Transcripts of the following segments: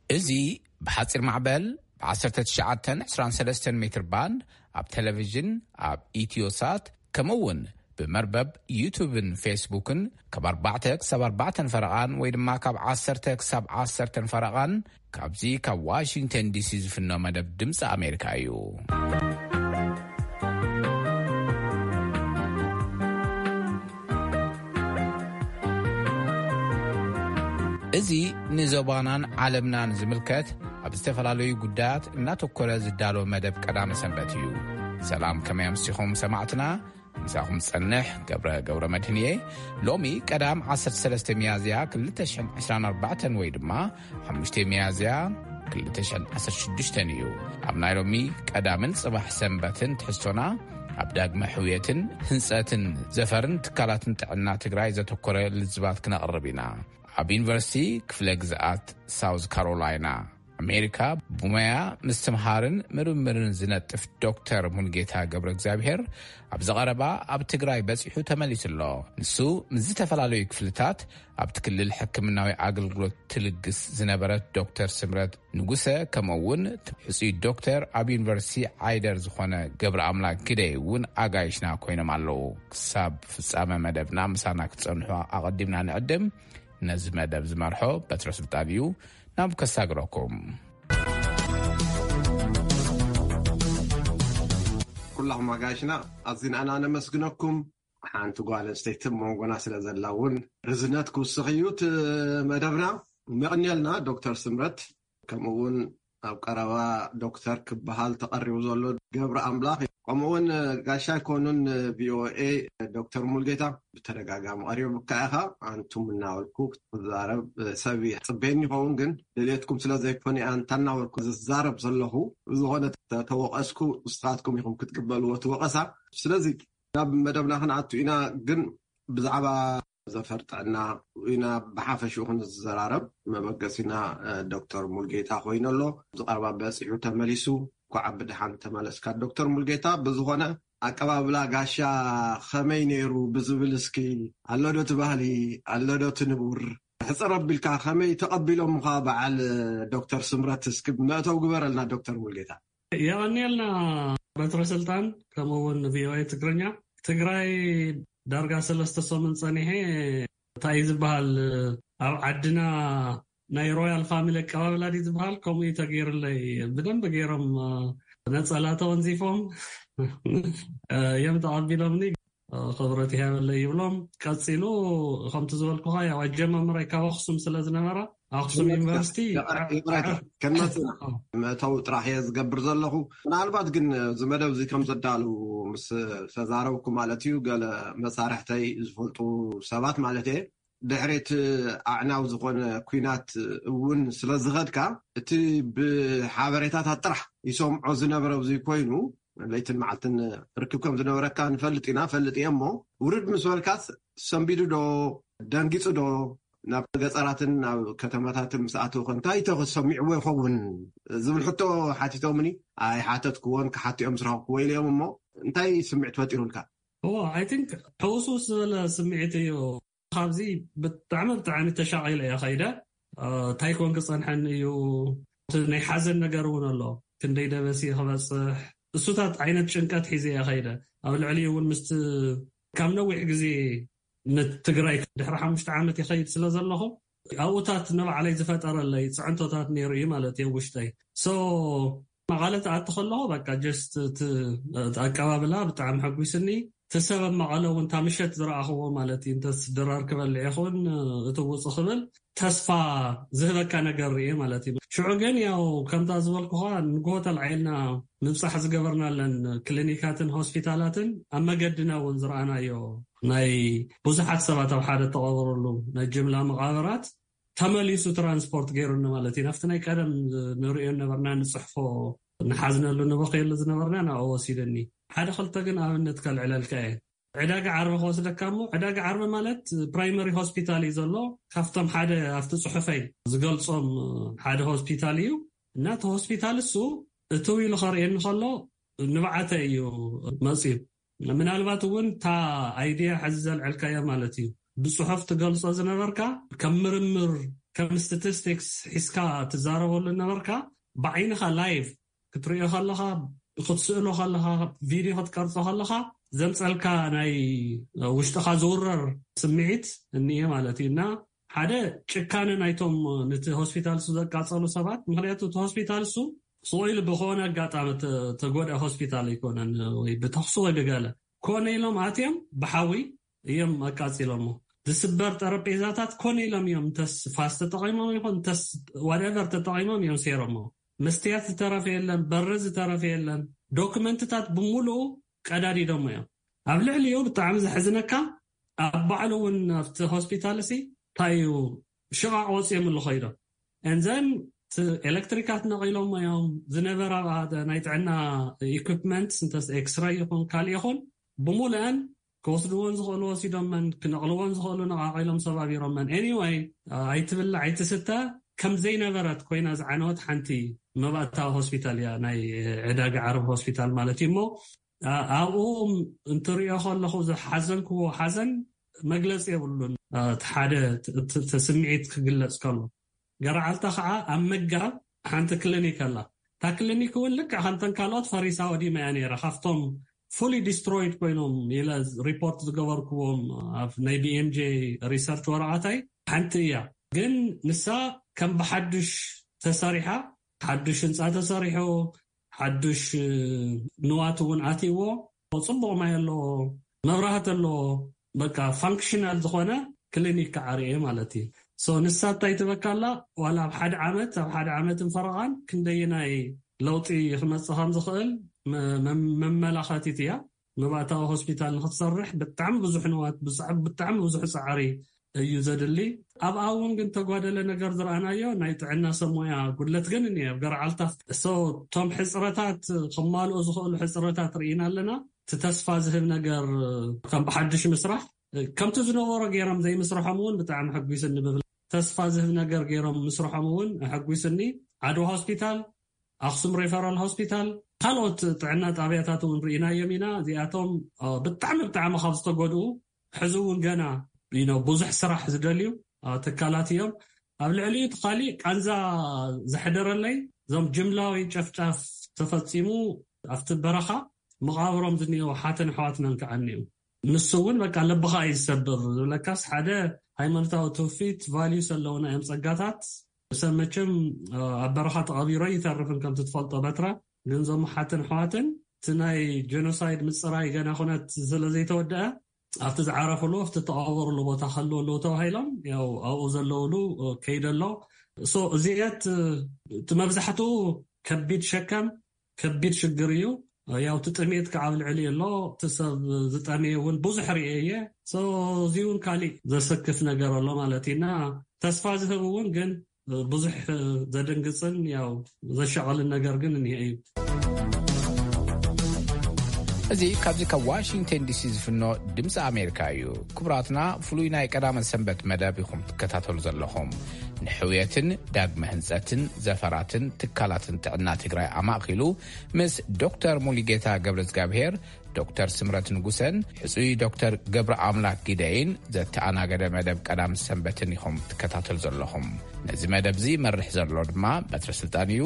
እዚ ብሓጺር ማዕበል ብ1923 ሜትር ባንድ ኣብ ቴሌቪዥን፣ ኣብ ኢትዮሳት፣ ከምኡ እውን ብመርበብ ዩቱብን ፌስቡክን ካብ ኣርባዕተ ክሳብ ኣርባዕተን ፈረቓን ወይ ድማ ካብ ዓሰርተ ክሳብ ዓሰርተን ፈረቓን ካብዚ ካብ ዋሽንግተን ዲሲ ዝፍኖ መደብ ድምፂ ኣሜሪካ እዩ። እዚ ንዞባናን ዓለምናን ዝምልከት ኣብ ዝተፈላለዩ ጉዳያት እናተኮረ ዝዳሎ መደብ ቀዳመ ሰንበት እዩ። ሰላም፣ ከመይ ኣምሲኹም ሰማዕትና? ምሳኹም ጸንሕ ገብረ፣ ገብረ መድህን እየ። ሎሚ ቀዳም ዓሰርተ ሰለስተ ሚያዝያ ክልተ ሽሕን ዕስራን ኣርባዕተን ወይ ድማ ሓሙሽተ ሚያዝያ ክልተ ሽሕን ዓሰርተ ሽዱሽተን እዩ። ኣብ ናይ ሎሚ ቀዳምን ጽባሕ ሰንበትን ትሕዝቶና ኣብ ዳግመ ሕውየትን ህንጸትን ዘፈርን ትካላትን ጥዕና ትግራይ ዘተኮረ ልዝባት ክነቕርብ ኢና። ኣብ ዩኒቨርሲቲ ክፍለ ግዝኣት ሳውዝ ካሮላይና ኣሜሪካ ብሞያ ምስትምሃርን ምርምርን ዝነጥፍ ዶክተር ሙልጌታ ገብረ እግዚኣብሔር ኣብዚ ቀረባ ኣብ ትግራይ በጺሑ ተመሊሱ ኣሎ። ንሱ ምስ ዝተፈላለዩ ክፍልታት ኣብቲ ክልል ሕክምናዊ ኣገልግሎት ትልግስ ዝነበረት ዶክተር ስምረት ንጉሰ፣ ከምኡ እውን ሕጹይ ዶክተር ኣብ ዩኒቨርሲቲ ዓይደር ዝኾነ ገብረ ኣምላክ ግደይ እውን ኣጋይሽና ኮይኖም ኣለዉ። ክሳብ ፍጻመ መደብና ምሳና ክትጸንሑ ኣቐዲምና ንዕድም። ነዚ መደብ ዝመርሖ በትረ ስልጣን እዩ። ናብ ከሳግረኩም። ኩላኹም ኣጋይሽና ኣዚና ኢና ነመስግነኩም። ሓንቲ ጓል ኣንስተይቲ ኣብ መንጎና ስለ ዘላ እውን ርዝነት ክውስኽ እዩ እቲ መደብና። መቕንየልና ዶክተር ስምረት፣ ከምኡ እውን ኣብ ቀረባ ዶክተር ክበሃል ተቐሪቡ ዘሎ ገብረ ኣምላኽ፣ ከምኡ እውን ጋሻ ኣይኮኑን ቪኦኤ ዶክተር ሙልጌታ፣ ብተደጋጋሚ ቀሪቡካ ኢኻ። ኣንቱም እናበልኩ ክትዛረብ ሰብ ይጽበየኒ ይኸውን፣ ግን ድሌትኩም ስለ ዘይኮነ ኣንታ እናበልኩ ዝዛረብ ዘለኹ። ብዝኾነ ተተወቐስኩ ንስኻትኩም ኢኹም ክትቅበልዎ እቲ ወቐሳ። ስለዚ ናብ መደብና ክንኣቱ ኢና፣ ግን ብዛዕባ ዘፈር ጥዕና ኢና ብሓፈሽኡ ክንዘራረብ። መበገሲና ዶክተር ሙልጌታ ኮይኑ ኣሎ። ዝቐረባ በፂሑ ተመሊሱ። እንኳዕ ብድሓን ተመለስካ ዶክተር ሙልጌታ። ብዝኾነ ኣቀባብላ ጋሻ ከመይ ነይሩ ብዝብል እስኪ፣ ኣሎ ዶ እቲ ባህሊ፣ ኣሎ ዶ እቲ ንቡር? ሕፅር ኣቢልካ ከመይ ተቐቢሎምኻ በዓል ዶክተር ስምረት? እስኪ መእተው ግበረልና ዶክተር ሙልጌታ። የቐንየልና በትረ ስልጣን፣ ከምኡ እውን ቪኦኤ ትግርኛ። ትግራይ ዳርጋ ሰለስተ ሰሙን ጸኒሐ፣ እንታይ እዩ ዝበሃል፣ ኣብ ዓድና ናይ ሮያል ፋሚሊ ኣቀባብላ ድዩ ዝበሃል፣ ከምኡ እዩ ተገይሩለይ። ብደንብ ገይሮም ነጸላ ተወንዚፎም እዮም ተቐቢሎምኒ። ክብረት ይሃበለይ ይብሎም። ቀጺሉ ከምቲ ዝበልኩኻ፣ ያው ኣጀማምራይ ካብ ኣኽሱም ስለ ዝነበረ፣ ኣኽሱም ዩኒቨርሲቲ ይቕረታ፣ ከናጽና መእተዊ ጥራሕ እየ ዝገብር ዘለኹ። ምናልባት ግን እዚ መደብ እዚ ከም ዘዳሉ ምስ ተዛረብኩ ማለት እዩ፣ ገለ መሳርሕተይ ዝፈልጡ ሰባት ማለት እየ፣ ድሕሪ እቲ ኣዕናዊ ዝኾነ ኲናት እውን ስለ ዝኸድካ፣ እቲ ብሓበሬታታት ጥራሕ ይሰምዖ ዝነበረ ኣብዚ ኮይኑ፣ ለይትን መዓልትን ርክብ ከም ዝነበረካ ንፈልጥ ኢና፣ ፈልጥ እየ። እሞ ውርድ ምስ በልካስ ሰንቢዱ ዶ፣ ደንጊጹ ዶ፣ ናብ ገጠራትን ናብ ከተማታትን ምስ ኣተወ ከ እንታይ ተሰሚዕዎ ይኸውን ዝብል ሕቶ ሓቲቶምኒ። ኣይሓተትክዎን፣ ክሓትኦም ዝረኸብክዎ ኢለ እዮም። እሞ እንታይ ስምዒት ፈጢሩልካ? እዎ፣ I think ሕውስውስ ዝበለ ስምዒት እዩ። ካብዚ ብጣዕሚ ብጣዕሚ ተሻቒለ እየ ኸይደ። እ፣ እንታይ ኮን ክጸንሐኒ እዩ? እቲ ናይ ሓዘን ነገር እውን ኣሎ። ክንደይ ደበሲ ክበጽሕ፣ እሱታት ዓይነት ጭንቀት ሒዘ እየ ኸይደ። ኣብ ልዕሊኡ እውን ምስቲ ካብ ነዊሕ ግዜ ንትግራይ ድሕሪ ሓሙሽተ ዓመት ይኸይድ ስለ ዘለኹ፣ ኣብኡታት ንባዕለይ ዝፈጠረለይ ጽዕንቶታት ነይሩ እዩ ማለት እዩ ውሽጠይ። So፣ መቐለ ትኣቲ ከለኹ፣ በቃ፣ just እቲ፣ እቲ ኣቀባብላ ብጣዕሚ ሓጒስኒ። እቲ ሰብ ኣብ መቐለ እውን፣ እታ ምሸት ዝረኣኽዎ ማለት እዩ፣ እንተስ ድራር ክበልዕ ይኹን፣ እቲ ውጽእ ክብል ተስፋ ዝህበካ ነገር ርኤ ማለት እዩ። ሽዑ ግን፣ ያው፣ ከምታ ዝበልኩኻ፣ ንግሆ ተላዒልና ምብጻሕ ዝገበርናለን ክሊኒካትን ሆስፒታላትን፣ ኣብ መገድና እውን ዝረኣናዮ፣ ናይ ብዙሓት ሰባት ኣብ ሓደ ተቐበረሉ ናይ ጅምላ መቓብራት፣ ተመሊሱ ትራንስፖርት ገይሩኒ ማለት እዩ። ናብቲ ናይ ቀደም ንርእዮ ነበርና፣ ንጽሕፎ፣ ንሓዝነሉ፣ ንበኽየሉ ዝነበርና ናብኡ ወሲዱኒ። ሓደ ክልተ ግን ኣብነት ከልዕለልካ እየ። ዕዳጋ ዓርቢ ክወስደካ እሞ፣ ዕዳጋ ዓርቢ ማለት ፕራይመሪ ሆስፒታል እዩ ዘሎ። ካብቶም ሓደ ኣብቲ ጽሑፈይ ዝገልጾም ሓደ ሆስፒታል እዩ። እና እቲ ሆስፒታል እሱ እትው ኢሉ ከርእየኒ ከሎ ንብዓተ እዩ መጽዩ። ምናልባት እውን እታ ኣይድያ ሕዚ ዘልዐልካያ ማለት እዩ፣ ብጽሑፍ ትገልጾ ዝነበርካ፣ ከም ምርምር፣ ከም ስታቲስቲክስ ሒዝካ ትዛረበሉ ነበርካ። ብዓይንኻ ላይቭ ክትርእዮ ከለኻ፣ ክትስእሎ ከለኻ፣ ቪድዮ ክትቀርጾ ከለኻ ዘምጸልካ ናይ ውሽጥኻ ዝውረር ስምዒት እኒኤ ማለት እዩ። እና ሓደ ጭካነ ናይቶም ነቲ ሆስፒታል እሱ ዘቃጸሉ ሰባት፣ ምክንያቱ እቲ ሆስፒታል እሱ ስቕ ኢሉ ብኮነ ኣጋጣሚ ተ-፣ ተጎድአ ሆስፒታል ኣይኮነን፣ ወይ ብተኽሲ ወይ ብገለ ኮነ ኢሎም ኣትዮም ብሓዊ እዮም ኣቃጺሎሞ። ዝስበር ጠረጴዛታት ኮነ ኢሎም እዮም እንተስ ፋስ ተጠቒሞም ይኹን እንተስ ዋትኤቨር ተጠቒሞም እዮም ሰይሮሞ። መስትያት ዝተረፈ የለን፣ በሪ ዝተረፈ የለን። ዶክመንትታት ብምሉኡ ቀዳዲዶሞ እዮም። ኣብ ልዕሊኡ ብጣዕሚ ዘሕዝነካ ኣብ ባዕሉ እውን ኣብቲ ሆስፒታል ሲ እንታይ እዩ ሽቓቕ ወፂኦም ኣለኹ ኢሎም። And then እቲ ኤሌክትሪካት ነቒሎሞ እዮም። ዝነበራ ናይ ጥዕና ኢኩፕመንት እንተስ ኤክስራይ ይኹን ካልእ ይኹን ብሙሉአን ክወስድዎን ዝኽእሉ ወሲዶመን፣ ክነቕልዎን ዝኽእሉ ነቓቒሎም ሰባቢሮመን። Anyway፣ ኣይትብላዕ ኣይትስተ ከም ዘይነበረት ኮይና ዝዓነወት ሓንቲ መባእታዊ ሆስፒታል እያ፣ ናይ ዕዳጋ ዓረብ ሆስፒታል ማለት እዩ። እሞ ኣ-፣ ኣብኡ እንትሪኦ ከለኹ ዝሓዘንክዎ ሓዘን መግለፂ የብሉን። እ፣ እቲ ሓደ ት-፣ ት-፣ እቲ ስምዒት ክግለፅ ከሎ፣ ገርዓልታ ከዓ ኣብ መጋብ ሓንቲ ክሊኒክ ኣላ። እታ ክሊኒክ እውን ልክዕ ከምተን ካልኦት ፈሪሳ ወዲማ እያ ነይራ። ካብቶም ፉሊ ዲስትሮይድ ኮይኖም ኢለ ሪፖርት ዝገበርክዎም ኣብ ናይ ቢ ኤም ጄ ሪሰርች ወረቐታይ ሓንቲ እያ። ግን ንሳ ከም ብሓዱሽ ተሰሪሓ፣ ሓዱሽ ህንፃ ተሰሪሑ፣ ሓዱሽ ንዋት እውን ኣትይዎ፣ ጽቡቕ ማይ ኣለዎ፣ መብራህቲ ኣለዎ። በቃ ፋንክሽናል ዝኾነ ክሊኒክ ክዓርየ ማለት እዩ። ሶ ንሳ እንታይ ትበካ ኣላ? ዋላ ኣብ ሓደ ዓመት፣ ኣብ ሓደ ዓመትን ፈረቓን ክንደየናይ ለውጢ ክመጽእ ከም ዝኽእል መ-፣ መ-፣ መመላኸቲት እያ። መባእታዊ ሆስፒታል ንክትሰርሕ ብጣዕሚ ብዙሕ ንዋት፣ ብዛዕ-፣ ብጣዕሚ ብዙሕ ጻዕሪ እዩ ዘድሊ። ኣብኣ እውን ግን ተጓደለ ነገር ዝረኣናዮ ናይ ጥዕና ሰብ ሞያ ጉድለት ግን እኒአ ኣብ ገርዓልታ። ሶ እቶም ሕፅረታት ክማልኡ ዝኽእሉ ሕፅረታት ርኢና ኣለና። እቲ ተስፋ ዝህብ ነገር ከም ብሓድሽ ምስራሕ፣ ከምቲ ዝነበሮ ገይሮም ዘይምስርሖም እውን ብጣዕሚ ሕጒስኒ ብብል። ተስፋ ዝህብ ነገር ገይሮም ምስርሖም እውን ኣሐጒስኒ። ዓድዋ ሆስፒታል፣ ኣኽሱም ሬፈራል ሆስፒታል፣ ካልኦት ጥዕና ጣብያታት እውን ርኢናዮም ኢና። እዚኣቶም፣ እ፣ ብጣዕሚ፣ ብጣዕሚ ካብ ዝተጎድኡ፣ ሕዚ እውን ገና፣ you know፣ ብዙሕ ስራሕ ዝደልዩ፣ እ፣ ትካላት እዮም። ኣብ ልዕሊኡ እቲ ካሊእ ቃንዛ ዘሕደረለይ፣ እዞም ጅምላዊ ጨፍጫፍ ተፈጺሙ ኣብቲ በረኻ መቓብሮም ዝኒኦ ሓተን ኣሕዋትናን ከዓ እኒኡ። ንሱ እውን በቃ ልብኻ እዩ ዝሰብር። ዝብለካስ ሓደ ሃይማኖታዊ ትውፊት፣ ቫልዩስ ኣለውና እዮም ጸጋታት። ሰብ መቸም፣ እ፣ ኣብ በረኻ ተቐቢሮ ይተርፍን ከምቲ ትፈልጦ በትራ። ግን እዞም ሓተን ኣሕዋትን እቲ ናይ ጀኖሳይድ ምጽራይ ገና ኩነት ስለ ዘይተወደአ ኣብቲ ዝዓረፍሉ፣ ኣብቲ ተቐበርሉ ቦታ ከልዉ ኣለዉ ተባሂሎም፣ ያው ኣብኡ ዘለውሉ፣ እ፣ ከይደ ኣሎ። ሶ እዚአት፣ እ፣ እቲ መብዛሕትኡ ከቢድ ሸከም፣ ከቢድ ሽግር እዩ። ያው እቲ ጥሜት ከዓ ኣብ ልዕሊ ኣሎ። እቲ ሰብ ዝጠመየ እውን ብዙሕ ርኤ እየ። ሶ እዚ እውን ካሊእ ዘሰክፍ ነገር ኣሎ ማለት እዩ። እና ተስፋ ዝህብ እውን ግን ብዙሕ ዘደንግጽን ያው ዘሻቐልን ነገር ግን እኒሀ እዩ። እዚ ካብዚ ካብ ዋሽንግተን ዲ ሲ ዝፍኖ ድምፂ ኣሜሪካ እዩ። ክቡራትና፣ ፍሉይ ናይ ቀዳመ ሰንበት መደብ ኢኹም ትከታተሉ ዘለኹም። ንሕውየትን ዳግመ ህንጸትን ዘፈራትን ትካላትን ጥዕና ትግራይ ኣማእኪሉ ምስ ዶክተር ሙሉጌታ ገብረ እግዚኣብሔር፣ ዶክተር ስምረት ንጉሰን ሕጹይ ዶክተር ገብረ ኣምላክ ጊደይን ዘተኣናገደ መደብ ቀዳም ሰንበትን ኢኹም ትከታተሉ ዘለኹም። ነዚ መደብ እዚ ይመርሕ ዘሎ ድማ በትረ ስልጣን እዩ።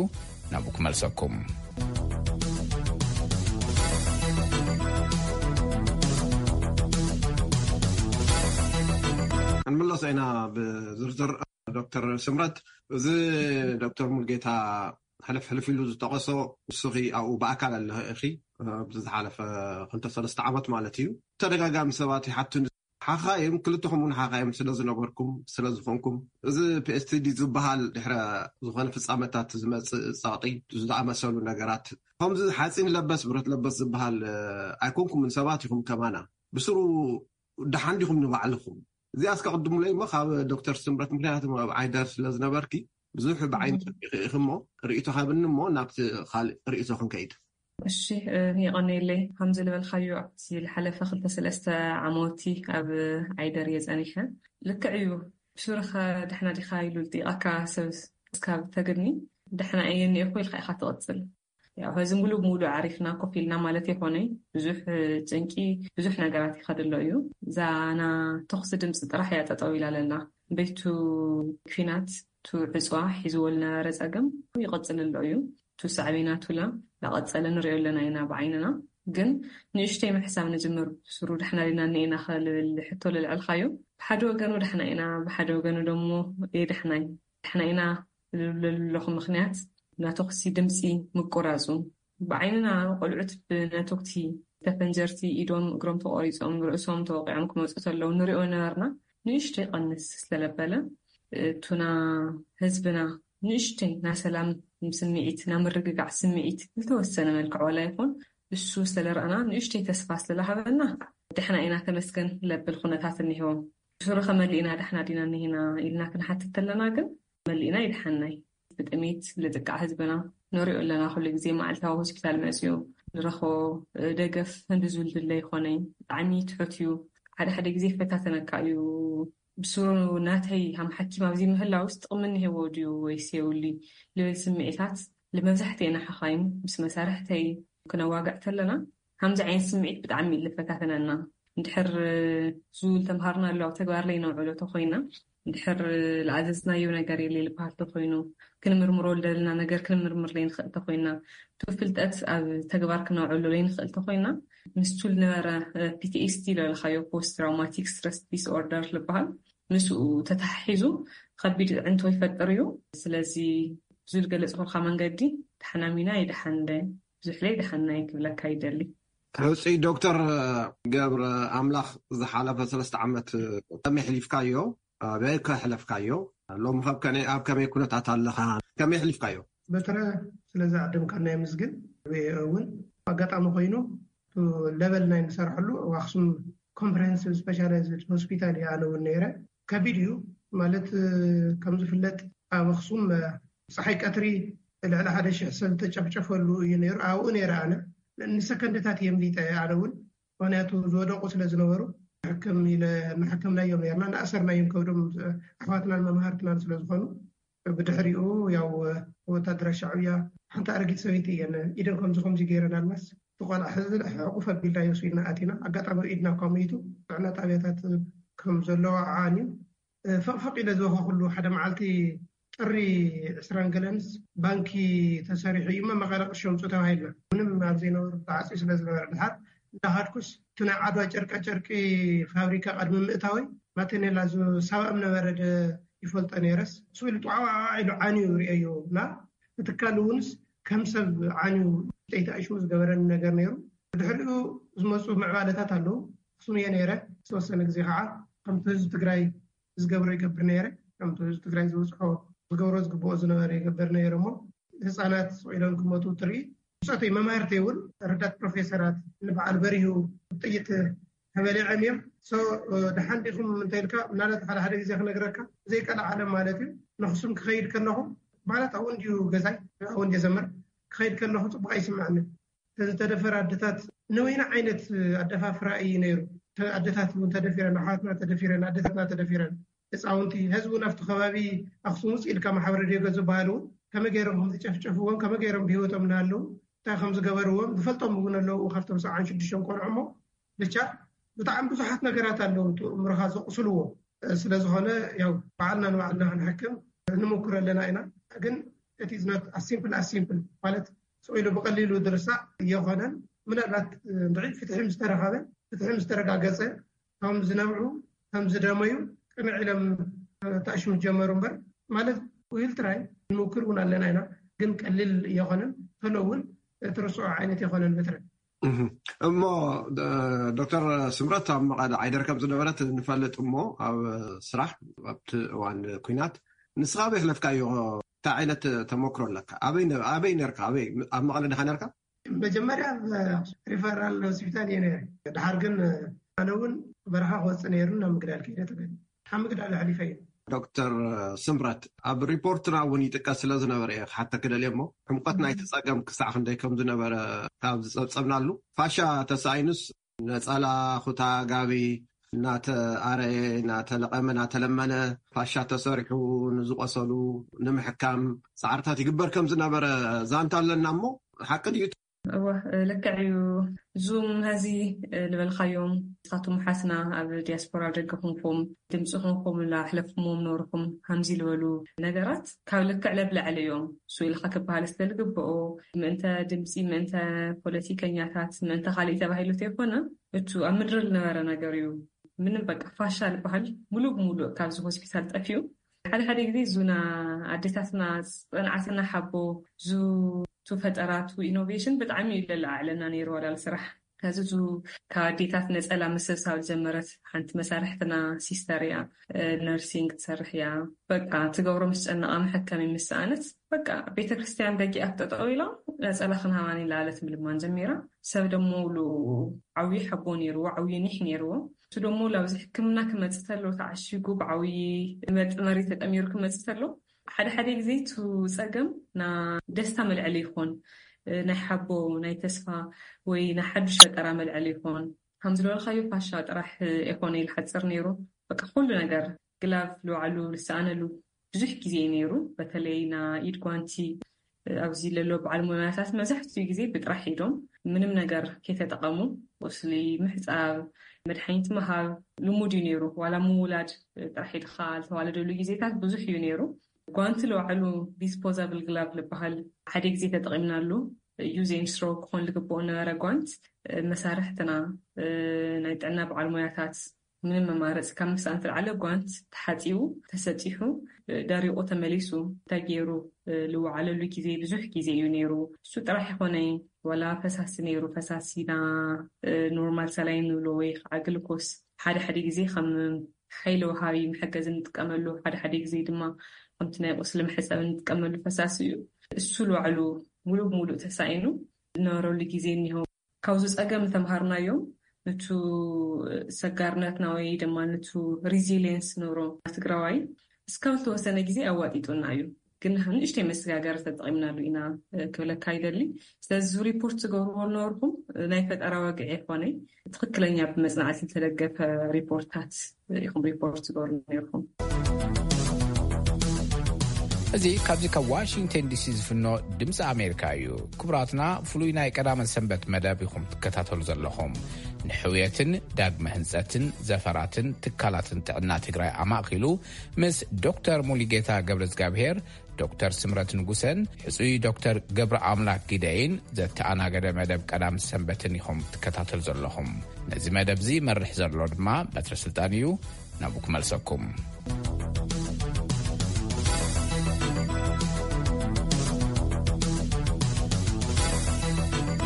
ናብኡ ክመልሰኩም። ክንምለሶ ኢና ብዝርዝር። ዶክተር ስምረት፣ እዚ ዶክተር ሙሉጌታ ሕልፍ ሕልፍ ኢሉ ዝጠቐሶ፣ ንስኺ ኣብኡ ብኣካል ኣለኺ፣ ኣብዚ ዝሓለፈ ክልተ ሰለስተ ዓመት ማለት እዩ። ተደጋጋሚ ሰባት ይሓቱኒ፣ ሓኻይም፣ ክልተኹም እውን ሓኻይም ስለ ዝነበርኩም፣ ስለ ዝኾንኩም፣ እዚ ፒ ኤስ ቲ ዲ ዝበሃል ድሕረ ዝኾነ ፍጻመታት ዝመጽእ ጸቕጢ ዝኣመሰሉ ነገራት፣ ከምዚ ሓጺን ለበስ ብረት ለበስ ዝበሃል ኣይኮንኩምን፣ ሰባት ኢኹም ከማና። ብስሩ ደሓን ዲኹም ንባዕልኹም? እዚኣ እስከ ቅድሙለይ እሞ ካብ ዶክተር ስምረት፣ ምክንያቱ ኣብ ዓይደር ስለ ዝነበርኪ ብዙሕ ብዓይኒ ጸቢኺ ኢኺ እሞ ርእይቶ ሃብኒ እሞ ናብቲ ካልእ ርእይቶ ክንከይድ። እሺ፣ የቐነየለይ። ከም ዝበልካዮ ኣብቲ ዝሓለፈ ክልተ ሰለስተ ዓመቲ ኣብ ዓይደር እየ ጸኒሐ። ልክዕ እዩ። ብሱሩኸ ደሕና ዲኻ ኢሉ ልጢቓካ ሰብ እስካብ ተግድኒ፣ ደሕና እየ እኒኤኹ ኢልካ ኢኻ ትቕጽል። ያው ሕዚ ሙሉ ብሙሉ ዓሪፍና ኮፍ ኢልና ማለት ይኾነ፣ ብዙሕ ጭንቂ፣ ብዙሕ ነገራት ይኸድሎ እዩ። እዛ ና ተኹሲ ድምፂ ጥራሕ እያ ጠጠው ኢላ ለላ። ቤቱ ኲናት፣ ቱ ዕፅዋ ሒዝዎ ልነበረ ፀገም ይቕፅል ኣሎ እዩ። ቱ ሳዕቤናቱ ላ ላቐፀለ ንሪኦ ኣለና ኢና ብዓይንና። ግን ንእሽተይ ምሕሳብ ንጅምር። ብሱሩ ደሕና ዲና እኒኤና ከልብል ሕቶ ልልዕልካዮ፣ ብሓደ ወገኑ ደሕና ኢና፣ ብሓደ ወገኑ ደሞ የደሕናይ ደሕና ኢና ልብለሉ ኣለኹ። ምኽንያት ናተኩሲ ድምፂ ምቁራፁ፣ ብዓይንና ቆልዑት ብናተኩቲ ተፈንጀርቲ ኢዶም እግሮም ተቆሪፆም ርእሶም ተወቂዖም ክመፁ ተለው ንሪኦ ነበርና። ንእሽተይ ቀንስ ስለለበለ እቱና ህዝብና ንእሽተይ ና ሰላም ስምዒት፣ ና ምርግጋዕ ስምዒት ዝተወሰነ መልክዕ ዋላ ይኹን እሱ ስለረኣና ንእሽተይ ተስፋ ስለላሃበና ደሕና ኢና ተመስገን ለብል ኩነታት እኒሄዎ። ብሱሩ ከመሊእና ደሕና ዲና እኒሄና ኢልና ክንሓትት ተለና ግን መሊእና ይድሓናይ። ብጥሜት ልጥቃዕ ህዝብና ንሪኦ ኣለና። ኩሉ ግዜ መዓልታዊ ሆስፒታል መፅዩ ንረኽቦ ደገፍ ህንዲ ዝብል ድለ ይኾነይ ብጣዕሚ ትሑት እዩ። ሓደ ሓደ ግዜ ፈታተነካ እዩ። ብሱሩ ናተይ ሃም ሓኪም ኣብዚ ምህላውስ ጥቕሚ እኒሄዎ ድዩ ወይስ የብሉይ ልብል ስምዒታት ልመብዛሕትኤና ሓኻይም ምስ መሳርሕተይ ክነዋግዕ ተለና፣ ከምዚ ዓይነት ስምዒት ብጣዕሚ እዩ ልፈታተነና። እንድሕር ዝብል ተምሃርና ኣለዉ ኣብ ተግባር ለይነውዕሎ ተኾይና፣ እንድሕር ዝኣዘዝናዮ ነገር የለ ልበሃል ተኾይኑ፣ ክንምርምሮ ልደልና ነገር ክንምርምር ለይንኽእል ተኾይና፣ እቲ ፍልጠት ኣብ ተግባር ክነውዕሎ ለይንኽእል ተኾይና፣ ምስቱ ልነበረ ፒ ቲ ኤስ ዲ ለበልካዮ ፖስት ትራውማቲክ ስትረስ ዲስኦርደር ልበሃል፣ ምስኡ ተተሓሒዙ ከቢድ ዕንቶ ይፈጥር እዩ። ስለዚ ብዙ ልገለጽኩልካ መንገዲ ተሓናሚና ይደሓንደ ብዙሕ ለይ ደሓናይ ክብለካ ይደሊ። ሕፁይ ዶክተር ገብረ ኣምላኽ ዝሓለፈ ሰለስተ ዓመት ከመይ ሕሊፍካዮ? ኣበይ ከሕለፍካዮ? ሎሚ ኸብ ከነ ኣብ ከመይ ኩነታት ኣለኻ? ከመይ ሕሊፍካዮ? በትረ ስለዚ ኣደምካና የምዝግን። እውን ኣጋጣሚ ኮይኑ ለበል ናይ ንሰርሐሉ ኣብ ኣክሱም ኮምፕሬሄንሲቭ ስፔሻላይዝድ ሆስፒታል እየ ኣነ እውን ነይረ። ከቢድ እዩ ማለት ከም ዝፍለጥ ኣብ ኣክሱም ፀሓይ ቀትሪ ልዕሊ ሓደ ሽሕ ሰብ ተጨፍጨፈሉ እዩ ነይሩ። ኣብኡ ነይረ ኣነ ንሰከንድታት እየ ምሊጠ ኣነ እውን ምክንያቱ ዝወደቁ ስለ ዝነበሩ ሕክም ኢለ እናሕከምናዮም ነርና እናእሰርናዮም ከብዶም ኣሕዋትናን መምሃርትናን ስለ ዝኾኑ ብድሕሪኡ ያው ወታደራ ሻዕብያ ሓንቲ ኣረጊት ሰበይቲ እየን ኢደን ከምዚ ከምዚ ገይረን ኣልማስ እቲ ቆልዓ ሕዚ ሕቁፍ ኣቢልና የሱ ኢልና ኣቲና ኣጋጣሚ ኢድና እኳ ሞይቱ ጥዕና ጣብያታት ከም ዘለዎ ዓዓን እዩ ፈቕፈቕ ኢለ ዝበኸኩሉ ሓደ መዓልቲ ጥሪ ዕስራን ገለንስ ባንኪ ተሰሪሑ እዩ መመቐለ ቅርሺ ኣምፁ ተባሂልና ምንም ኣብ ዘይነበሩ ተዓፅዩ ስለ ዝነበረ ድሓር እንዳሃድኩስ እቲ ናይ ዓድዋ ጨርቃ ጨርቂ ፋብሪካ ቀድሚ ምእታወይ ማቴኔላ ዝሳባእም ነበረ ይፈልጦ ነይረስ ስኢሉ ጣዕዋ ኢሉ ዓንዩ ርእዮ እና እቲ ካል እውንስ ከም ሰብ ዓንዩ ጠይታ እሽሙ ዝገበረኒ ነገር ነይሩ። ብድሕሪኡ ዝመፁ ምዕባለታት ኣለዉ። ኣክሱም እየ ነይረ ዝተወሰነ ግዜ ከዓ ከምቲ ህዝቢ ትግራይ ዝገብሮ ይገብር ነይረ። ከምቲ ህዝቢ ትግራይ ዝበፅሖ ዝገብሮ ዝግብኦ ዝነበረ ይገብር ነይረ እሞ ህፃናት ስቕ ኢሎም ክመቱ ትርኢ ብፆተይ መማህርተይ እውን ረዳት ፕሮፌሰራት ንበዓል በሪሁ ጥይት ተበሊዖም እዮም። ደሓን ዲኹም እንተ ኢልካ ምናልባት ሓደ ሓደ ግዜ ክነግረካ ዘይቀልዓለም ማለት እዩ። ንክሱም ክኸይድ ከለኹ ማለት ኣብኡ እንድዩ ገዛይ ኣብኡ እንድየ ዘምር ክኸይድ ከለኹ ፅቡቅ ኣይስምዐንን። ዝተደፈረ ኣደታት ንወይነ ዓይነት ኣደፋፍራ እዩ ነይሩ። ኣደታት እውን ተደፊረን ኣሓዋትና ተደፊረን ኣደታትና ተደፊረን ህፃውንቲ ህዝቢ እውን ኣብቲ ከባቢ ኣክሱም ውፅእ ኢልካ ማሕበረ ዲዮገ ዝበሃሉ እውን ከመይ ገይሮም ከምዝጨፍጨፍዎም ከመይ ገይሮም ብሂወቶም እናሃለዉ እንታይ ከም ዝገበርዎም ዝፈልጦም እውን ኣለዉ ካብቶም ሰብዓን ሽዱሽተን ቆልዑ እሞ ብቻ ብጣዕሚ ብዙሓት ነገራት ኣለዉ እቲ እምሮኻ ዘቑስልዎ ስለ ዝኾነ ያው ባዕልና ንባዕልና ክንሕክም ንሞክር ኣለና ኢና ግን it is not as simple as simple ማለት ስቕ ኢሉ ብቐሊሉ ዝርሳዕ የኾነን ምናልባት እንድዒ ፍትሒ ምስ ተረኸበ ፍትሒ ምስ ተረጋገፀ ከም ዝነብዑ ከም ዝደመዩ ቅንዕ ኢሎም ተኣሽሙ ጀመሩ እምበር ማለት ውሂል ትራይ ንሞክር እውን ኣለና ኢና ግን ቀሊል የኾነን ቶሎ እውን ትርስዖ ዓይነት የኾነን በትረ እሞ ዶክተር ስምረት ኣብ መቐለ ዓይደር ከም ዝነበረት ንፈልጥ እሞ ኣብ ስራሕ ኣብቲ እዋን ኩናት ንስኻ ኣበይ ክለፍካዮ እንታይ ዓይነት ተመክሮ ኣለካ ኣበይ ነርካ ኣበይ ኣብ መቐለ ድኻ ነርካ መጀመርያ ሪፈራል ሆስፒታል እየ ነረ ድሓር ግን ኣነ እውን በረኻ ክወፅእ ነይሩ ናብ ምግዳል ከይደ ተገ ካብ ምግዳል ኣሕሊፈ እዩ ዶክተር ስምረት፣ ኣብ ሪፖርትና እውን ይጥቀስ ስለ ዝነበረ እየ ክሓተኪ ደልየ እሞ፣ ዕምቆት ናይቲ ጸገም ክሳዕ ክንደይ ከም ዝነበረ ካብ ዝጸብጸብናሉ፣ ፋሻ ተሳኢኑስ ነጸላ፣ ኩታ፣ ጋቢ እናተኣረየ፣ እናተለቐመ፣ እናተለመነ፣ ፋሻ ተሰሪሑ ንዝቆሰሉ ንምሕካም ጻዕርታት ይግበር ከም ዝነበረ ዛንታ ኣለና እሞ፣ ሓቂ ድዩ? እወ፣ ልክዕ እዩ። ዙም ሀዚ ዝበልካዮም ንስኻትኩም ሓስና ኣብ ዲያስፖራ ደገ ኮንኩም ድምፂ ኮንኩም ላሕለፍኩምዎም ነበርኩም ሃምዚ ዝበሉ ነገራት ካብ ልክዕ ለብላዕሊ እዮም። እሱ ኢልካ ክበሃል ስለልግብኦ ምእንተ ድምፂ፣ ምእንተ ፖለቲከኛታት፣ ምእንተ ካልእ ተባሂሉ ተይኮነ፣ እቱ ኣብ ምድሪ ዝነበረ ነገር እዩ። ምንም በቃ ፋሻ ዝበሃል ሙሉእ ብሙሉእ ካብዚ ሆስፒታል ጠፊኡ። ሓደ ሓደ ግዜ ዙና ኣዴታትና ዝፀንዓትና ሓቦ፣ ዙ ቱ ፈጠራቱ ኢኖቬሽን ብጣዕሚ እዩ ለለዓዕለና ነይሩ ዋላ ስራሕ። ከዚ ዙ ካብ ኣዴታት ነፀላ ምስብሳብ ዝጀመረት ሓንቲ መሳርሕትና ሲስተር እያ። ነርሲንግ ትሰርሕ እያ። በቃ ትገብሮ ምስ ጨነቓ መሐከሚ ምስ ሰኣነት በቃ ቤተክርስትያን ደጊኣ ክጠጠው ኢላ ነፀላ ክንሃባኒ ላለት ምልማን ጀሚራ። ሰብ ደሞ ሉ ዓብዪ ሓቦ ነይርዎ፣ ዓብዪ ኒሕ ነይርዎ። እሱ ደሞ ላብዚ ሕክምና ክመፅእ ተሎ ተዓሺጉ ብዓብዪ መጥመሪ ተጠሚሩ ክመፅእ ተሎ ሓደ ሓደ ግዜ ቱ ጸገም ና ደስታ መልዕሊ ይኾን፣ ናይ ሓቦ፣ ናይ ተስፋ ወይ ናይ ሓዱሽ ፈጠራ መልዕሊ ይኾን። ከም ዝበልካዮ ፋሻ ጥራሕ ኣይኮነ ኢሉ ሓጽር ነይሩ። በቃ ኩሉ ነገር ግላቭ ልውዓሉ ልሰኣነሉ ብዙሕ ግዜ እዩ ነይሩ። በተለይ ና ኢድ ጓንቲ ኣብዚ ለሎ በዓል ሞያታት መብዛሕትኡ ግዜ ብጥራሕ ኢዶም ምንም ነገር ከይተጠቐሙ ቁስሊ ምሕጻብ፣ መድሓኒት ምሃብ ልሙድ እዩ ነይሩ። ዋላ ምውላድ ጥራሕ ኢድካ ዝተዋለደሉ ግዜታት ብዙሕ እዩ ነይሩ። ጓንቲ ለባዕሉ ዲስፖዛብል ግላቭ ዝበሃል ሓደ ግዜ ተጠቒምናሉ። ዩዝ ኤንድ ስሮ ክኾን ዝግብኦ ነበረ ጓንት። መሳርሕትና፣ ናይ ጥዕና በዓል ሞያታት ምንም መማረፂ ካብ ምስኣን ተልዓለ ጓንት ተሓፂቡ፣ ተሰጢሑ፣ ደሪቑ ተመሊሱ እንታይ ገይሩ ልወዓለሉ ግዜ ብዙሕ ግዜ እዩ ነይሩ። እሱ ጥራሕ ይኾነ ዋላ ፈሳሲ ነይሩ፣ ፈሳሲና ኖርማል ሰላይን ንብሎ ወይ ከዓ ግልኮስ ሓደ ሓደ ግዜ ከም ሓይሊ ወሃቢ መሐገዚ እንጥቀመሉ፣ ሓደ ሓደ ግዜ ድማ ከምቲ ናይ ቁስሊ መሕፀቢ እንጥቀመሉ ፈሳሲ እዩ። እሱ ልባዕሉ ሙሉእ ብሙሉእ ተሳኢኑ ዝነበረሉ ግዜ እኒሆ። ካብዚ ጸገም ዝተምሃርናዮም፣ ንቱ ሰጋርነትና ወይ ድማ ንቱ ሪዚሊየንስ ንብሎ ትግራዋይ እስካብ ዝተወሰነ ግዜ ኣዋጢጡና እዩ። ግን ንእሽተይ መሰጋገሪ ተጠቒምናሉ ኢና ክብለካ ይደሊ። ስለዚ ሪፖርት ትገብርዎ ዝነበርኩም ናይ ፈጠራ ወግዒ ኣይኮነይ፣ ትኽክለኛ ብመጽናዕቲ ዝተደገፈ ሪፖርታት ኢኹም ሪፖርት ትገብሩ ነይርኩም። እዚ ካብዚ ካብ ዋሽንግተን ዲሲ ዝፍኖ ድምፂ ኣሜሪካ እዩ። ክቡራትና፣ ፍሉይ ናይ ቀዳመ ሰንበት መደብ ኢኹም ትከታተሉ ዘለኹም። ንሕውየትን ዳግመ ህንፀትን ዘፈራትን ትካላትን ጥዕና ትግራይ ኣማእኪሉ ምስ ዶክተር ሙሉጌታ ገብረ እግዚኣብሔር፣ ዶክተር ስምረት ንጉሰን ሕፁይ ዶክተር ገብረ ኣምላክ ጊደይን ዘተኣናገደ መደብ ቀዳም ሰንበትን ኢኹም ትከታተሉ ዘለኹም። ነዚ መደብ እዚ መርሕ ዘሎ ድማ በትረ ስልጣን እዩ። ናብኡ ክመልሰኩም።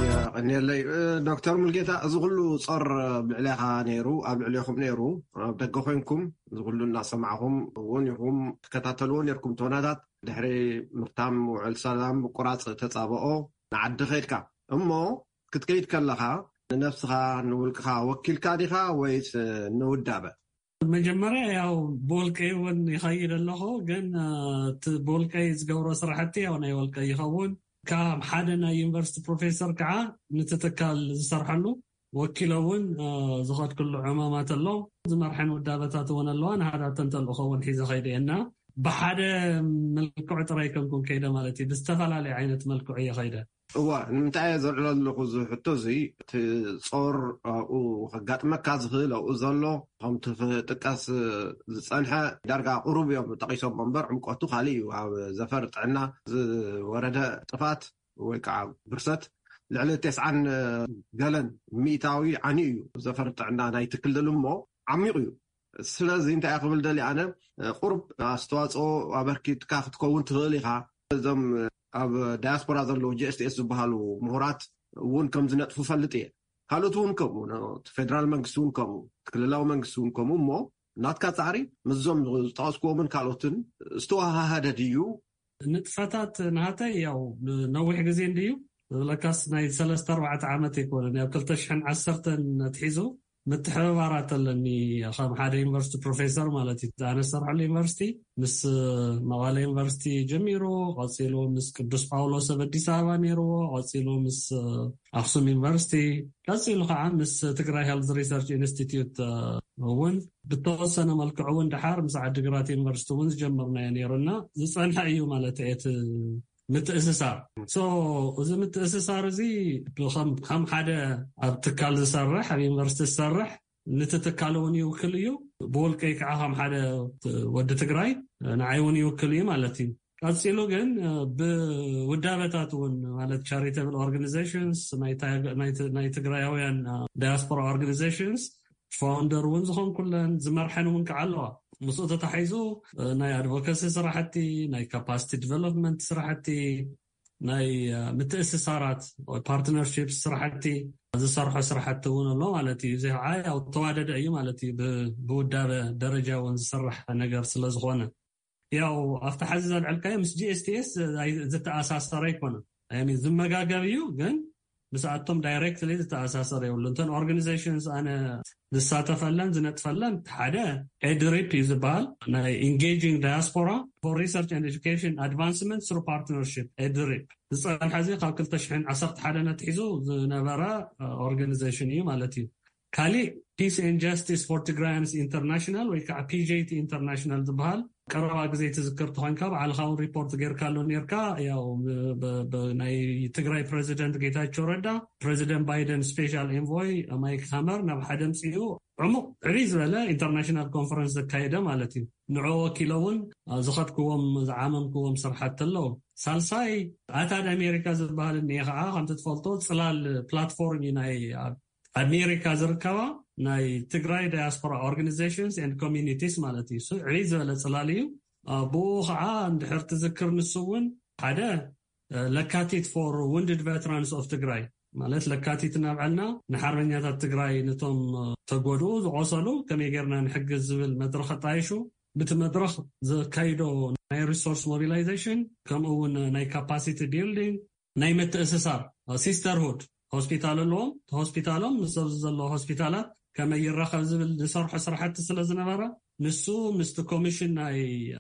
የቐንየለይ ዶክተር ሙልጌታ፣ እዚ ኩሉ ጾር ኣብ ልዕሌኻ ነይሩ፣ ኣብ ልዕሌኹም ነይሩ፣ ኣብ ደገ ኮይንኩም እዚ ኩሉ እናሰማዕኹም እውን ኢኹም ትከታተልዎ ነይርኩም። ተወናታት ድሕሪ ምርታም ውዕል ሰላም ምቁራፅ ተፃብኦ ንዓዲ ከይድካ እሞ ክትከይድ ከለኻ ንነብስኻ ንውልቅኻ ወኪልካ ዲኻ ወይስ ንውዳበ? መጀመርያ ያው ብወልቀይ እውን ይኸይድ ኣለኹ፣ ግን እቲ ብወልቀይ ዝገብሮ ስራሕቲ ያው ናይ ወልቀይ ይኸውን። ካብ ሓደ ናይ ዩኒቨርሲቲ ፕሮፌሰር ከዓ ነቲ ትካል ዝሰርሐሉ ወኪለ እውን ዝኸድክሉ ዕማማት ኣሎ። ዝመርሐን ውዳበታት እውን ኣለዋ። ንሃዳተን ተልእኾ እውን ሒዘ ኸይደ እየ እና ብሓደ መልክዑ ጥራይ ከምኩም ከይደ ማለት እዩ። ብዝተፈላለየ ዓይነት መልክዑ እየ ኸይደ። እዋ ንምንታይ እየ ዘልዕሎ ዘለኹ እዚ ሕቶ እዚ፣ እቲ ጾር ኣብኡ ከጋጥመካ ዝኽእል ኣብኡ ዘሎ ከምቲ ክጥቀስ ዝጸንሐ ዳርጋ ቁሩብ እዮም ጠቒሶም እምበር ዕምቆቱ ካልእ እዩ። ኣብ ዘፈር ጥዕና ዝወረደ ጥፋት ወይ ከዓ ብርሰት ልዕሊ ተስዓን ገለን ሚእታዊ ዓንዩ እዩ። ዘፈር ጥዕና ናይቲ ክልል እሞ ዓሚቕ እዩ። ስለዚ እንታይ ክብል ደሊ ኣነ ቁሩብ ኣስተዋፅኦ ኣበርኪትካ ክትከውን ትኽእል ኢኻ። እዞም ኣብ ዳያስፖራ ዘለዉ ጂ ኤስ ቲ ኤስ ዝበሃሉ ምሁራት እውን ከም ዝነጥፉ ፈልጥ እየ። ካልኦት እውን ከምኡ እቲ ፌደራል መንግስቲ እውን ከምኡ እቲ ክልላዊ መንግስቲ እውን ከምኡ እሞ ናትካ ፃዕሪ ምስዞም ዝጠቐስክዎምን ካልኦትን ዝተወሃሃደ ድዩ? ንጥፈታት ናተይ ያው ነዊሕ ግዜ እንድዩ ዝብለካስ ናይ ሰለስተ ኣርባዕተ ዓመት ኣይኮነን። ኣብ ክልተ ሽሕን ዓሰርተን ኣትሒዙ ምትሕብባራት ኣለኒ። ከም ሓደ ዩኒቨርሲቲ ፕሮፌሰር ማለት እዩ። ኣነ ዝሰርሐሉ ዩኒቨርሲቲ ምስ መቐለ ዩኒቨርሲቲ ጀሚሩ፣ ቀፂሉ ምስ ቅዱስ ጳውሎስ ኣብ ኣዲስ ኣበባ ነይርዎ፣ ቀፂሉ ምስ ኣክሱም ዩኒቨርሲቲ፣ ቀፂሉ ከዓ ምስ ትግራይ ሄልዝ ሪሰርች ኢንስቲትዩት እውን ብተወሰነ መልክዑ እውን ድሓር ምስ ዓዲግራት ዩኒቨርሲቲ እውን ዝጀመርናዮ ነይሩና። ዝፀንሐ እዩ ማለት እቲ ምትእስሳር። So እዚ ምትእስሳር እዚ ከም ሓደ ኣብ ትካል ዝሰርሕ፣ ኣብ ዩኒቨርሲቲ ዝሰርሕ፣ ንቲ ትካል እውን ይውክል እዩ። ብውልቀይ ከዓ ከም ሓደ ወዲ ትግራይ ንዓይ እውን ይውክል እዩ ማለት እዩ። ቀፂሉ ግን ብውዳበታት እውን ማለት ቻሪተብል ኦርጋኒዜሽንስ ናይ ትግራያውያን ዳያስፖራ ኦርጋኒዜሽንስ ፋውንደር እውን ዝኾንኩለን ዝመርሐን እውን ከዓ ኣለዋ። ምስኡ ተታሒዙ ናይ ኣድቮካሲ ስራሕቲ፣ ናይ ካፓሲቲ ዲቨሎፕመንት ስራሕቲ፣ ናይ ምትእስሳራት ፓርትነርሺፕ ስራሕቲ ዝሰርሖ ስራሕቲ እውን ኣሎ ማለት እዩ። እዚ ከዓ ያው ተዋደደ እዩ ማለት እዩ። ብውዳበ ደረጃ እውን ዝስራሕ ነገር ስለዝኾነ ያው ኣብቲ ሓዚ ዘልዕልካዮ ምስ ጂኤስቲኤስ ዝተኣሳሰረ ኣይኮነን። ዝመጋገብ እዩ ግን ምስኣቶም ዳይሬክትሊ ዝተኣሳሰረ የብሉ። እንተን ኦርጋኒዜሽንስ ኣነ ዝሳተፈለን ዝነጥፈለን ሓደ ኤድሪፕ እዩ ዝበሃል፣ ናይ ኢንጌጂንግ ዳያስፖራ ፎር ሪሰርች ኤንድ ኤዱኬሽን ኣድቫንስመንት ስሩ ፓርትነርሺፕ። ኤድሪፕ ዝፀንሐ እዚ ካብ ክልተ ሽሕን ዓሰርተ ሓደን ኣትሒዙ ዝነበረ ኦርጋኒዜሽን እዩ ማለት እዩ። ካሊእ ፒስ ኤንድ ጃስቲስ ፎር ትግራያንስ ኢንተርናሽናል ወይ ከዓ ፒጄቲ ኢንተርናሽናል ዝበሃል ቀረባ ግዜ ትዝክር ተኾንካ ባዕልኻ እውን ሪፖርት ጌርካሉ ኔርካ። ያው ናይ ትግራይ ፕሬዚደንት ጌታቸው ረዳ፣ ፕሬዚደንት ባይደን ስፔሻል ኤንቮይ ማይክ ሃመር ናብ ሓደ ምፅኡ ዕሙቕ ዕብይ ዝበለ ኢንተርናሽናል ኮንፈረንስ ዘካየደ ማለት እዩ። ንዑ ወኪሎ እውን ዝኸድክዎም ዝዓመምክዎም ስርሓት ኣለዉ። ሳልሳይ ኣታድ ኣሜሪካ ዝበሃል እኒኤ ከዓ ከምቲ ትፈልጦ ፅላል ፕላትፎርም እዩ ናይ ኣሜሪካ ዝርከባ ናይ ትግራይ ዳያስፖራ ኦርጋኒዜሽንስ ኤንድ ኮሚኒቲስ ማለት እዩ። ዕብይ ዝበለ ፅላል እዩ። ብኡ ከዓ እንድሕር ትዝክር ንሱ እውን ሓደ ለካቲት ፎር ውንድድ ቨትራንስ ኦፍ ትግራይ ማለት ለካቲት እናብዐልና ንሓርበኛታት ትግራይ ነቶም ተጎድኡ ዝቆሰሉ ከመይ ጌርና ንሕግዝ ዝብል መድረክ ኣጣይሹ ብቲ መድረክ ዘካይዶ ናይ ሪሶርስ ሞቢላይዜሽን ከምኡ እውን ናይ ካፓሲቲ ቢልዲንግ ናይ ምትእስሳር ሲስተርሁድ ሆስፒታል ኣለዎም። ሆስፒታሎም ምስ ኣብዚ ዘለዎ ሆስፒታላት ከመይ ይራኸብ ዝብል ዝሰርሖ ስራሕቲ ስለ ዝነበረ ንሱ ምስቲ ኮሚሽን ናይ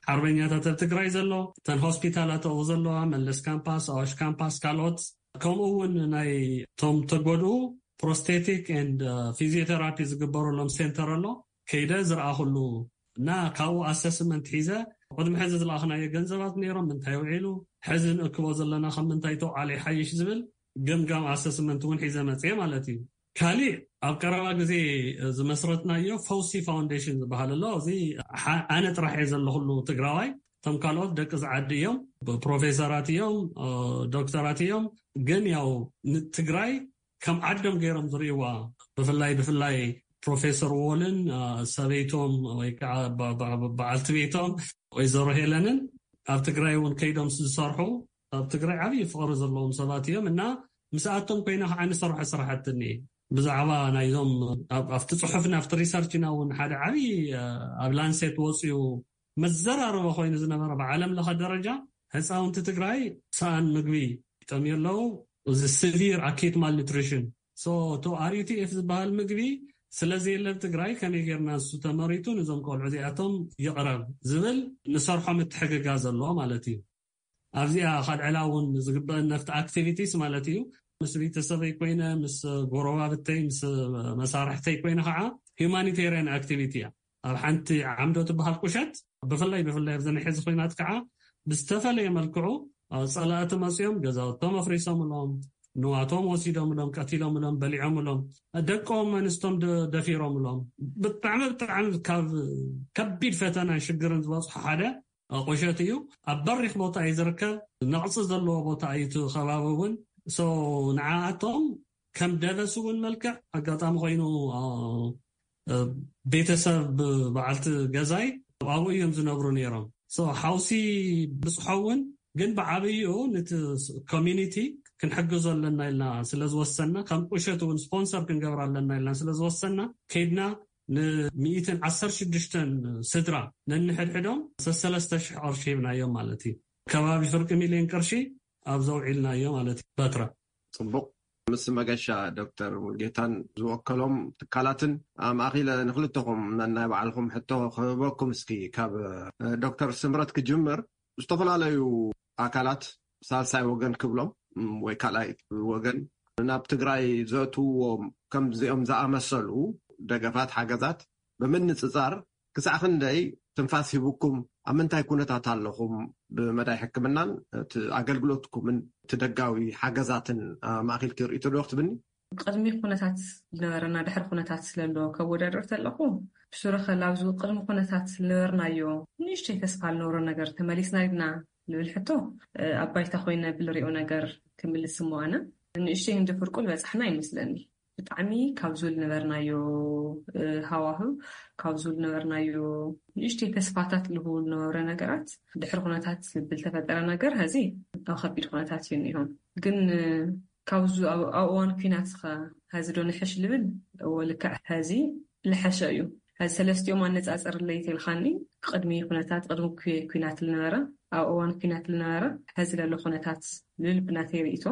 ሓርበኛታት ኣብ ትግራይ ዘሎ እተን ሆስፒታላት ኣብኡ ዘለዋ መለስ ካምፓስ ኣዋሽ ካምፓስ ካልኦት ከምኡ እውን ናይ ቶም ተጎድኡ ፕሮስቴቲክ ኤንድ ፊዚዮቴራፒ ዝግበረሎም ሴንተር ኣሎ ከይደ ዝረኣኹሉ እና ካብኡ ኣሰስመንት ሒዘ ቅድሚ ሕዚ ዝለኣኽናዮ ገንዘባት ነይሮም ምንታይ ውዒሉ ሕዚ ንእክቦ ዘለና ከም ምንታይ ተውዓለ ይሓይሽ ዝብል ገምጋም ኣሰስመንት እውን ሒዘ መፅየ ማለት እዩ። ካሊእ ኣብ ቀረባ ግዜ ዝመስረትናዮ ፈውሲ ፋውንዴሽን ዝበሃል ኣሎ። እዚ ኣነ ጥራሕ እየ ዘለኹሉ ትግራዋይ። እቶም ካልኦት ደቂ ዝዓዲ እዮም፣ ፕሮፌሰራት እዮም፣ ዶክተራት እዮም። ግን ያው ንትግራይ ከም ዓዶም ገይሮም ዝርእይዋ ብፍላይ ብፍላይ ፕሮፌሰር ዎልን ሰበይቶም ወይ ከዓ በዓልቲ ቤቶም ወይዘሮ ሄለንን ኣብ ትግራይ እውን ከይዶም ዝሰርሑ ኣብ ትግራይ ዓብዪ ፍቕሪ ዘለዎም ሰባት እዮም እና ምስኣቶም ኮይና ከዓ ንሰርሖ ስራሕቲ እኒኤ ብዛዕባ ናይዞም ኣብቲ ፅሑፍና ኣብቲ ሪሰርችና እውን ሓደ ዓብዪ ኣብ ላንሴት ወፅኡ መዘራረበ ኮይኑ ዝነበረ ብዓለም ለኸ ደረጃ ህፃውንቲ ትግራይ ሰኣን ምግቢ ይጠምዩ ኣለዉ። እዚ ሲቪር ኣኪት ማልኒትሪሽን ሶ ቶ ኣርዩቲኤፍ ዝበሃል ምግቢ ስለዘየለ ኣብ ትግራይ ከመይ ጌርና ንሱ ተመሪቱ ነዞም ቆልዑ እዚኣቶም ይቕረብ ዝብል ንሰርሖ ምትሕግጋዝ ኣሎ ማለት እዩ። ኣብዚኣ ካልዕላ እውን ዝግበአን ነፍቲ ኣክቲቪቲስ ማለት እዩ ምስ ቤተሰበይ ኮይነ ምስ ጎረባብተይ ምስ መሳርሕተይ ኮይነ ከዓ ሂማኒቴሪያን ኣክቲቪቲ እያ። ኣብ ሓንቲ ዓምዶ ትበሃል ቁሸት ብፍላይ ብፍላይ ኣብዚ ናይ ሕዚ ኮይናት ከዓ ብዝተፈለየ መልክዑ ፀላእቲ መፅኦም ገዛውቶም ኣፍሪሶምሎም ንዋቶም ወሲዶምሎም ቀቲሎምሎም በሊዖምሎም ደቆም ኣንስቶም ደፊሮምሎም ብጣዕሚ ብጣዕሚ ካብ ከቢድ ፈተናን ሽግርን ዝበፅሑ ሓደ ቁሸት እዩ። ኣብ በሪክ ቦታ እዩ ዝርከብ። ነቕፂ ዘለዎ ቦታ እዩ እቲ ከባቢ እውን ንዓኣቶም ከም ደበስ እውን መልክዕ ኣጋጣሚ ኮይኑ ቤተሰብ በዓልቲ ገዛይ ኣብኡ እዮም ዝነብሩ ነይሮም። ሓውሲ ብፅሖ እውን ግን ብዓብይኡ ነቲ ኮሚኒቲ ክንሕግዞ ኣለና ኢልና ስለዝወሰና ከም ቁሸት እውን ስፖንሰር ክንገብር ኣለና ኢልና ስለዝወሰና ከይድና ንሚእትን ዓሰርተ ሽዱሽተን ስድራ ነንሕድሕዶም ሰሰለስተ ሽሕ ቅርሺ ሂብናዮም ማለት እዩ። ከባቢ ፍርቂ ሚልዮን ቅርሺ ኣብ ዘውዒልናዮ ማለት እዩ። በትረ ፅቡቅ ምስ መገሻ ዶክተር ሙልጌታን ዝወከሎም ትካላትን ኣማእኪለ ንክልተኹም ነናይ ባዕልኹም ሕቶ ክህበኩም። እስኪ ካብ ዶክተር ስምረት ክጅምር። ዝተፈላለዩ ኣካላት ሳልሳይ ወገን ክብሎም ወይ ካልኣይ ወገን ናብ ትግራይ ዘእትውዎም ከምዚኦም ዝኣመሰሉ ደገፋት፣ ሓገዛት ብምንፅፃር ክሳዕ ክንደይ ትንፋስ ሂቡኩም፣ ኣብ ምንታይ ኩነታት ኣለኹም፣ ብመዳይ ሕክምናን እቲ ኣገልግሎትኩምን እቲ ደጋዊ ሓገዛትን ኣማእኪልኪ ርእይቶ ዶ ክትብኒ? ቅድሚ ኩነታት ዝነበረና ድሕሪ ኩነታት ስለሎ ከወዳድር ተለኹ፣ ብሱረኸ ላብዚ ቅድሚ ኩነታት ዝነበርናዮ ንእሽተይ ተስፋ ልነበሮ ነገር ተመሊስና ድና ልብል ሕቶ፣ ኣብ ባይታ ኮይነ ብልሪኦ ነገር ክምልስ እሞ ኣነ ንእሽተይ እንዲ ፍርቁ ልበጻሕና ይመስለኒ። ብጣዕሚ ካብዙ ልነበርናዮ ሃዋህው፣ ካብዙ ልነበርናዮ ንእሽተይ ተስፋታት ልህቡ ልነበረ ነገራት ድሕሪ ኩነታት ብልተፈጠረ ነገር ሀዚ ኣብ ከቢድ ኩነታት እዩ እኒሆም። ግን ካብዙ ኣብ እዋን ኩናት ኸ ሀዚ ዶ ንሕሽ ልብል? እዎ፣ ልክዕ ሀዚ ልሐሸ እዩ። ሀዚ ሰለስቲኦም ኣነፃፅር ለይት ኢልካኒ፣ ቅድሚ ኩነታት ቅድሚ ኩናት ልነበረ ኣብ እዋን ኩናት ልነበረ ሀዚ ለሎ ኩነታት ልብል ብናተይ ርእቶ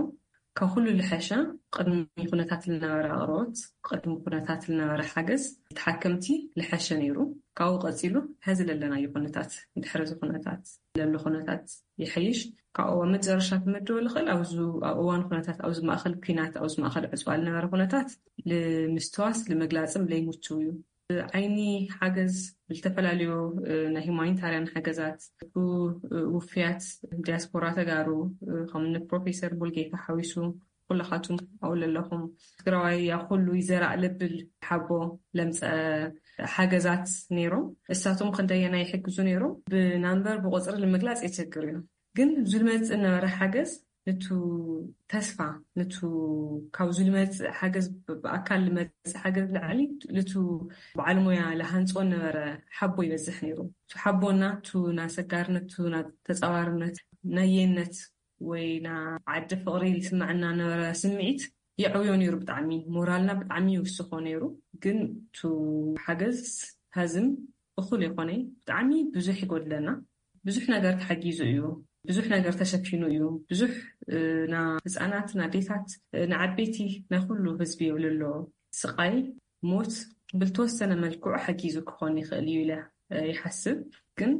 ካብ ኩሉ ልሐሸ ቅድሚ ኩነታት ልነበረ ኣቕርቦት፣ ቅድሚ ኩነታት ልነበረ ሓገዝ ተሓከምቲ ልሐሸ ነይሩ። ካብኡ ቀፂሉ ሀዚ ለለናዮ ኩነታት፣ ድሕሪ እዚ ኩነታት ለሎ ኩነታት ይሐይሽ። ካብኡ ኣብ መጨረሻ ክምድቦ ልኽእል፣ ኣብዚ ኣብ እዋን ኩነታት፣ ኣብዚ ማእኸል ኩናት፣ ኣብዚ ማእኸል ዕፅዋ ልነበረ ኩነታት ልምስትዋስ ልመግላፅም ለይምችው እዩ። ዓይኒ ሓገዝ፣ ዝተፈላለዩ ናይ ሁማኒታርያን ሓገዛት፣ ውፍያት ዲያስፖራ ተጋሩ ከምኒ ፕሮፌሰር ቡልጌታ ሓዊሱ ኩላኻቱም ኣብኡ ለለኹም፣ ትግራዋይ ያ ኩሉ ይዘራእ ለብል ሓቦ ለምፀ ሓገዛት ነይሮም። እሳቶም ክንደየና ይሕግዙ ነይሮም ብናምበር ብቆፅሪ ንምግላፅ የቸግር እዩ። ግን ዝመፅእ ነበረ ሓገዝ ንቱ ተስፋ፣ ንቱ ካብ ዝመፅእ ሓገዝ፣ ብኣካል ዝመፅእ ሓገዝ ላዕሊ ንቱ በዓል ሞያ ዝሃንፅዎ ነበረ ሓቦ ይበዝሕ ነይሩ። ቱ ሓቦና፣ ቱ ናሰጋርነት፣ ቱ ናተፃዋርነት፣ ናየነት ወይ ና ዓዲ ፍቕሪ ዝስምዐና ነበረ ስምዒት የዕውዮ ነይሩ። ብጣዕሚ ሞራልና ብጣዕሚ ይውስኾ ነይሩ። ግን ቱ ሓገዝ ሀዝም እኹል የኾነ፣ ብጣዕሚ ብዙሕ ይጎድለና። ብዙሕ ነገር ተሓጊዙ እዩ፣ ብዙሕ ነገር ተሸፊኑ እዩ። ብዙሕ ና ህፃናት፣ ና ኣዴታት፣ ና ዓበይቲ፣ ናይ ኩሉ ህዝቢ የብልሎ ስቓይ፣ ሞት ብልተወሰነ መልክዑ ሓጊዙ ክኾን ይኽእል እዩ ኢለ ይሓስብ። ግን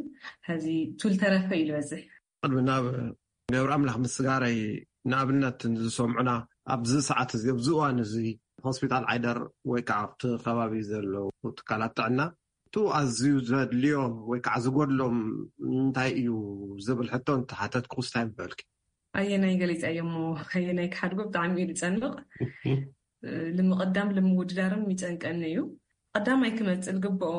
ሀዚ ቱል ተረፈ እዩ ዝበዝሕ። ቅድሚ ናብ ገብረ ኣምላኽ ምስጋረይ፣ ንኣብነት ዝሰምዑና ኣብዚ ሰዓት እዚ፣ ኣብዚ እዋን እዚ ሆስፒታል ዓይደር ወይ ከዓ ኣብቲ ከባቢ ዘለዉ ትካላት ጥዕና፣ እቱ ኣዝዩ ዘድልዮም ወይ ከዓ ዝጎድሎም እንታይ እዩ ዝብል ሕቶ እንተሓተትኩ እንታይ ምበልኪ? ኣየናይ ገሊፀ እየ እሞ ኣየናይ ክሓድጎ ብጣዕሚ እዩ ዝፀንቕ። ልምቕዳም ልምውድዳርም ይጨንቀኒ እዩ። ቀዳማይ ክመፅእ ልግብኦ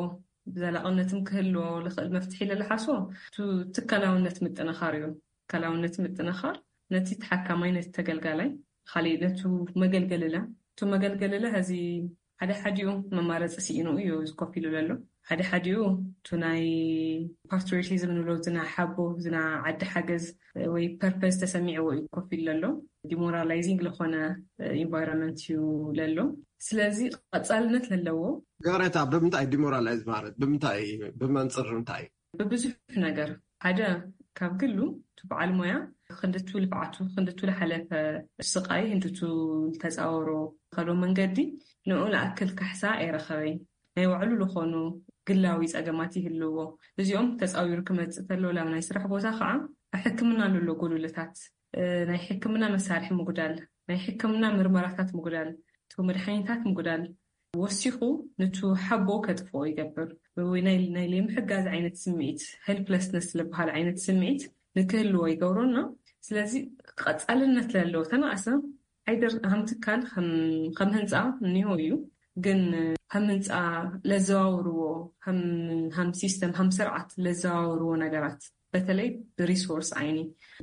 ብዘላቕነትም ክህልዎ ልኽእል መፍትሒ ለልሓስቦ ቱ ትካላውነት ምጥንኻር እዩ። ትካላውነት ምጥንኻር ነቲ ተሓካማይ፣ ነቲ ተገልጋላይ፣ ካሊእ ነቱ መገልገልለ፣ እቱ መገልገልለ ሀዚ ሓደ ሓዲኡ መማረፂ ስኢኑ እዩ ኮፍ ኢሉ ዘሎ። ሓደ ሓዲኡ እቱ ናይ ፓትሪዮቲዝም ንብሎ ዝና ሓቦ ዝና ዓዲ ሓገዝ ወይ ፐርፐዝ ተሰሚዕዎ እዩ ኮፍ ኢሉ ዘሎ። ዲሞራላይዚንግ ለኾነ ኢንቫይሮንመንት እዩ ለሎ። ስለዚ ቀፃልነት ለለዎ። ገረታ ብምንታይ ዲሞራላይዝ ማለት ብምንታይ፣ ብመንፅር እንታይ? ብብዙሕ ነገር ሓደ ካብ ግሉ እቲ በዓል ሞያ ክንድቱ ልፍዓቱ ክንድቱ ልሓለፈ ስቃይ ክንድቱ ልተፃወሮ ከሎ መንገዲ ንኡ ንኣክል ካሕሳ ኣይረኸበይ። ናይ ባዕሉ ልኾኑ ግላዊ ፀገማት ይህልዎ። እዚኦም ተፃዊሩ ክመፅእ ተሎ ላብ ናይ ስራሕ ቦታ ከዓ ሕክምና ልሎ ጎሉልታት ናይ ሕክምና መሳርሒ ምጉዳል፣ ናይ ሕክምና ምርመራታት ምጉዳል፣ እቲ መድሓኒታት ምጉዳል ወሲኹ ንቱ ሓቦ ከጥፍኦ ይገብር። ወይ ናይ ናይ ለይምሕጋዝ ዓይነት ስምዒት፣ ሄልፕለስነስ ዝበሃል ዓይነት ስምዒት ንክህልዎ ይገብሮና። ስለዚ ቀፃልነት ለለዎ ተናእሰ ዓይደር ሃም ትካል ከም ህንፃ እኒሆ እዩ። ግን ከም ህንፃ ለዘዋውርዎ፣ ሃም ሲስተም ሃም ስርዓት ለዘዋውርዎ ነገራት በተለይ ብሪሶርስ ዓይኒ፣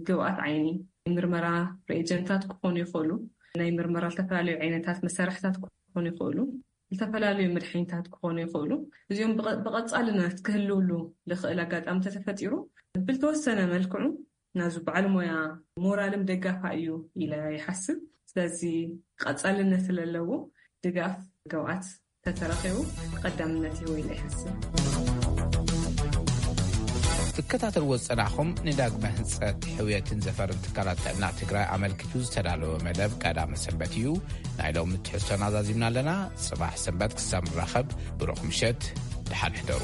ግብኣት ዓይኒ፣ ምርመራ ሬጀንታት ክኾኑ ይኽእሉ፣ ናይ ምርመራ ዝተፈላለዩ ዓይነታት መሳርሕታት ክኾኑ ይኽእሉ፣ ዝተፈላለዩ መድሓኒታት ክኾኑ ይኽእሉ። እዚኦም ብቐፃልነት ክህልውሉ ልኽእል ኣጋጣሚ ተተፈጢሩ ብልተወሰነ መልክዑ ናዙ በዓል ሞያ ሞራልም ደጋፋ እዩ ኢለ ይሓስብ። ስለዚ ቀፃልነት ለለዎ ድጋፍ ግብኣት ተተረኺቡ ቀዳምነት ይህቦ ኢለ ይሓስብ። ትከታተልዎ ዝጸናኹም ንዳግመ ህንጸት ሕውየትን ዘፈርን ትካላት ጥዕና ትግራይ ኣመልኪቱ ዝተዳለወ መደብ ቀዳመ ሰንበት እዩ። ናይ ሎሚ ትሕዝቶና ዛዚምና ኣለና። ጽባሕ ሰንበት ክሳብ ንራኸብ ብሩኽ ምሸት፣ ደሓን ሕደሩ።